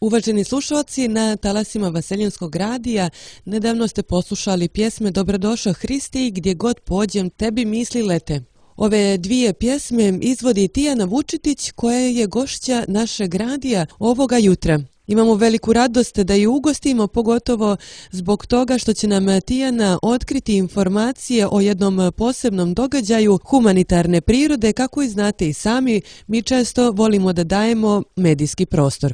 Uvaženi slušalci, na talasima Vaseljenskog radija nedavno ste poslušali pjesme Dobrodošao Hristi i Gdje god pođem tebi misli lete. Ove dvije pjesme izvodi Tijana Vučitić, koja je gošća našeg radija ovoga jutra. Imamo veliku radost da ju ugostimo, pogotovo zbog toga što će nam Tijana otkriti informacije o jednom posebnom događaju humanitarne prirode. Kako i znate i sami, mi često volimo da dajemo medijski prostor.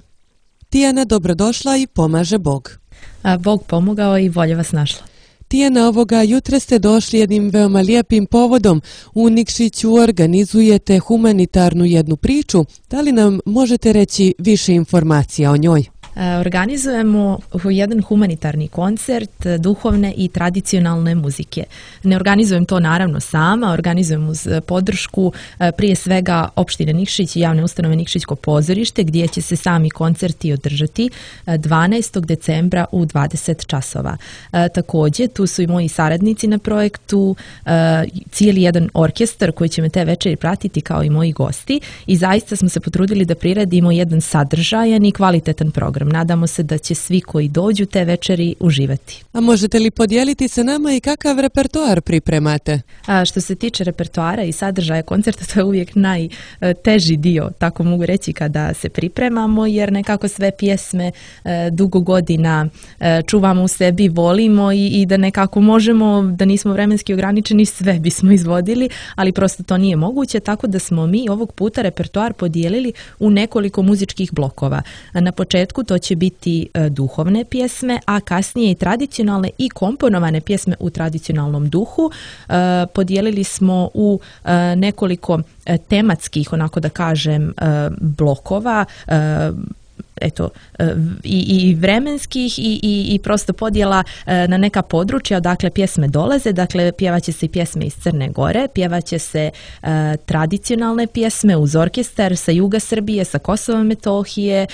Tijana, dobrodošla i pomaže Bog. Bog pomogao i bolje vas našla. Tijana, ovoga jutra ste došli jednim veoma lijepim povodom. U Nikšiću organizujete humanitarnu jednu priču. Da li nam možete reći više informacija o njoj? Organizujemo jedan humanitarni koncert duhovne i tradicionalne muzike. Ne organizujem to naravno sama, organizujem uz podršku prije svega opštine Nikšić i javne ustanove Nikšićko pozorište, gdje će se sami koncerti održati 12. decembra u 20 časova. Također, tu su i moji saradnici na projektu, cijeli jedan orkestar koji će me te večeri pratiti kao i moji gosti, i zaista smo se potrudili da priredimo jedan sadržajan i kvalitetan program. Nadamo se da će svi koji dođu te večeri uživati. A možete li podijeliti sa nama i kakav repertoar pripremate? Što se tiče repertoara i sadržaja koncerta, to je uvijek najteži dio, tako mogu reći, kada se pripremamo, jer nekako sve pjesme dugo godina čuvamo u sebi, volimo i da nekako možemo, da nismo vremenski ograničeni, sve bismo izvodili, ali prosto to nije moguće, tako da smo mi ovog puta repertoar podijelili u nekoliko muzičkih blokova. Na početku to će biti duhovne pjesme, a kasnije i tradicionalne i komponovane pjesme u tradicionalnom duhu. Podijelili smo u nekoliko tematskih, onako da kažem, blokova, i vremenskih i prosto podjela na neka područja odakle pjesme dolaze. Dakle, pjevaće se i pjesme iz Crne Gore, pjevaće se tradicionalne pjesme uz orkestar sa juga Srbije, sa Kosova i Metohije,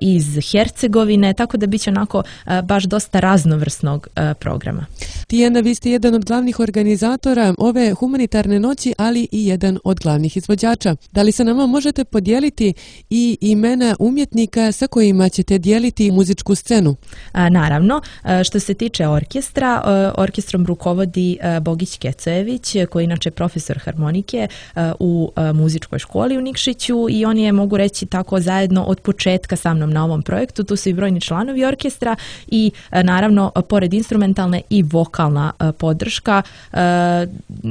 iz Hercegovine, tako da bit će onako baš dosta raznovrsnog programa. Tijana, vi ste jedan od glavnih organizatora ove humanitarne noći, ali i jedan od glavnih izvođača. Da li se nama možete podijeliti i imena umjetnika sa kojima ćete dijeliti muzičku scenu? Naravno, što se tiče orkestra, orkestrom rukovodi Bogić Kecojević, koji je inače profesor harmonike u muzičkoj školi u Nikšiću, i on je, mogu reći tako, zajedno od početka sa mnom na ovom projektu. Tu su i brojni članovi orkestra i naravno, pored instrumentalne i vokalna podrška.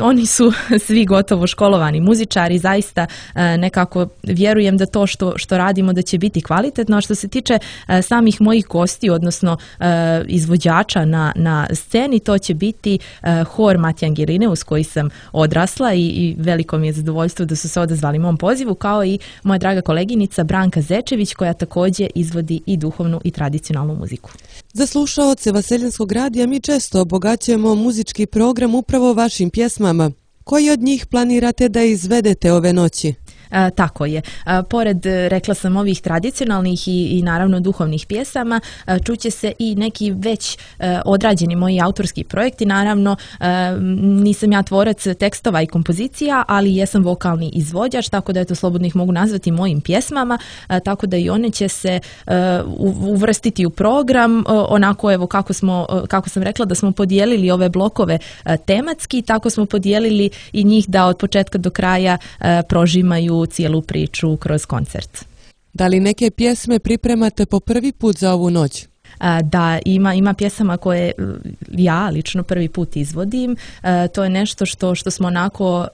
Oni su svi gotovo školovani muzičari, zaista nekako vjerujem da to što radimo da će biti kvalitetno. A što se tiče samih mojih gosti, odnosno izvođača na sceni, to će biti hor Matija Angirine, uz koji sam odrasla, i veliko mi je zadovoljstvo da su se odazvali mom pozivu, kao i moja draga koleginica Branka Zečević, koja također izvodi i duhovnu i tradicionalnu muziku. Za slušaoce Vaseljenskog radija mi često obogaćujemo muzički program upravo vašim pjesmama. Koji od njih planirate da izvedete ove noći? Tako je. Pored, rekla sam, ovih tradicionalnih i naravno duhovnih pjesama, čuće se i neki već odrađeni moji autorski projekti. Naravno, nisam ja tvorac tekstova i kompozicija, ali jesam vokalni izvođač, tako da eto, slobodno ih mogu nazvati mojim pjesmama, tako da i one će se uvrstiti u program, onako, evo, kako sam rekla, da smo podijelili ove blokove tematski, tako smo podijelili i njih da od početka do kraja prožimaju cijelu priču kroz koncert. Da li neke pjesme pripremate po prvi put za ovu noć? Da, ima pjesama koje ja lično prvi put izvodim. To je nešto što smo onako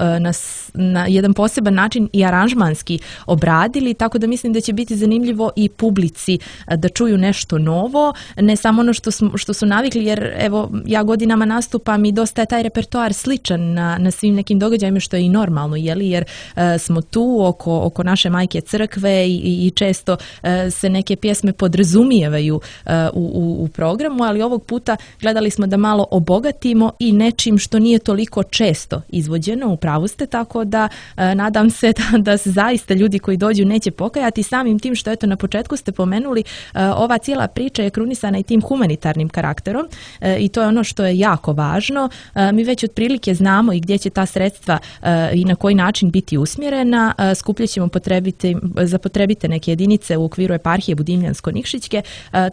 na jedan poseban način i aranžmanski obradili, tako da mislim da će biti zanimljivo i publici da čuju nešto novo, ne samo ono što su navikli, jer evo, ja godinama nastupam i dosta je taj repertoar sličan na svim nekim događajima, što je i normalno, jer smo tu oko naše majke crkve i često se neke pjesme podrazumijevaju u programu, ali ovog puta gledali smo da malo obogatimo i nečim što nije toliko često izvođeno, u pravu ste, tako da nadam se da se zaista ljudi koji dođu neće pokajati, samim tim što eto na početku ste pomenuli, ova cijela priča je krunisana i tim humanitarnim karakterom i to je ono što je jako važno. Mi već otprilike znamo i gdje će ta sredstva i na koji način biti usmjerena. Skupljat ćemo za potrebite neke jedinice u okviru eparhije Budimljansko-Nikšićke,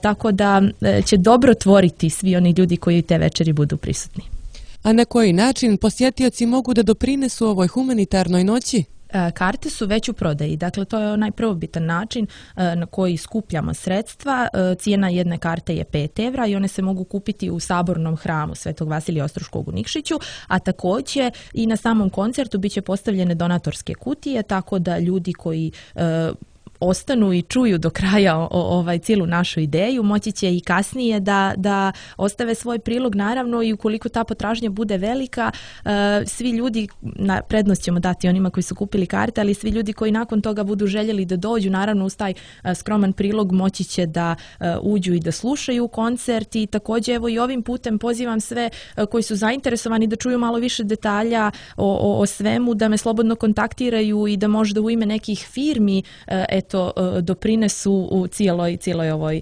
tako da će dobro tvoriti svi oni ljudi koji te večeri budu prisutni. A na koji način posjetioci mogu da doprinesu ovoj humanitarnoj noći? Karte su već u prodaji, dakle to je onaj prvobitan način na koji skupljamo sredstva. Cijena jedne karte je 5 evra i one se mogu kupiti u Sabornom hramu Svetog Vasilija Ostroškog u Nikšiću, a također i na samom koncertu bit će postavljene donatorske kutije, tako da ljudi koji ostanu i čuju do kraja cijelu našu ideju, moći će i kasnije da ostave svoj prilog, naravno, i ukoliko ta potražnja bude velika, svi ljudi, prednost ćemo dati onima koji su kupili karte, ali svi ljudi koji nakon toga budu željeli da dođu, naravno uz taj skroman prilog moći će da uđu i da slušaju koncert. I također evo i ovim putem pozivam sve koji su zainteresovani da čuju malo više detalja o svemu, da me slobodno kontaktiraju i da možda u ime nekih firmi doprinesu u cijeloj ovoj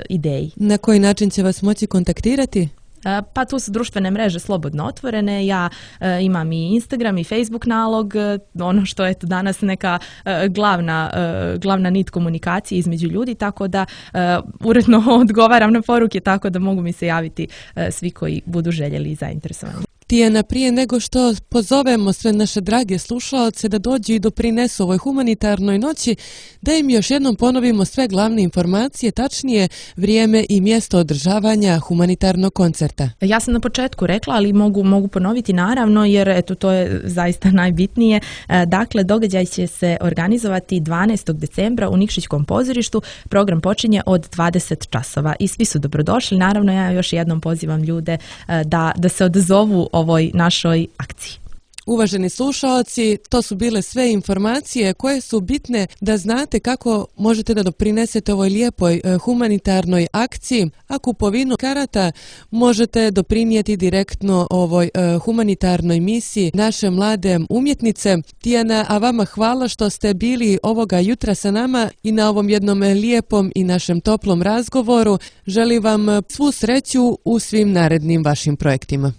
ideji. Na koji način će vas moći kontaktirati? Pa tu su društvene mreže slobodno otvorene, ja imam i Instagram i Facebook nalog, ono što je danas neka glavna nit komunikacije između ljudi, tako da uredno odgovaram na poruke, tako da mogu mi se javiti svi koji budu željeli i zainteresovani. Tijana, prije nego što pozovemo sve naše drage slušaoce da dođu i doprinesu ovoj humanitarnoj noći, da im još jednom ponovimo sve glavne informacije, tačnije vrijeme i mjesto održavanja humanitarnog koncerta. Ja sam na početku rekla, ali mogu ponoviti naravno, jer eto to je zaista najbitnije. Dakle, događaj će se organizovati 12. decembra u Nikšićkom pozorištu. Program počinje od 20 časova i svi su dobrodošli. Naravno, ja još jednom pozivam ljude da se odazovu ovoj našoj akciji. Uvaženi slušaoci, to su bile sve informacije koje su bitne da znate kako možete da doprinesete ovoj lijepoj humanitarnoj akciji, a kupovinu karata možete doprinijeti direktno ovoj humanitarnoj misiji naše mlade umjetnice. Tijana, a vama hvala što ste bili ovoga jutra sa nama i na ovom jednom lijepom i našem toplom razgovoru. Želim vam svu sreću u svim narednim vašim projektima.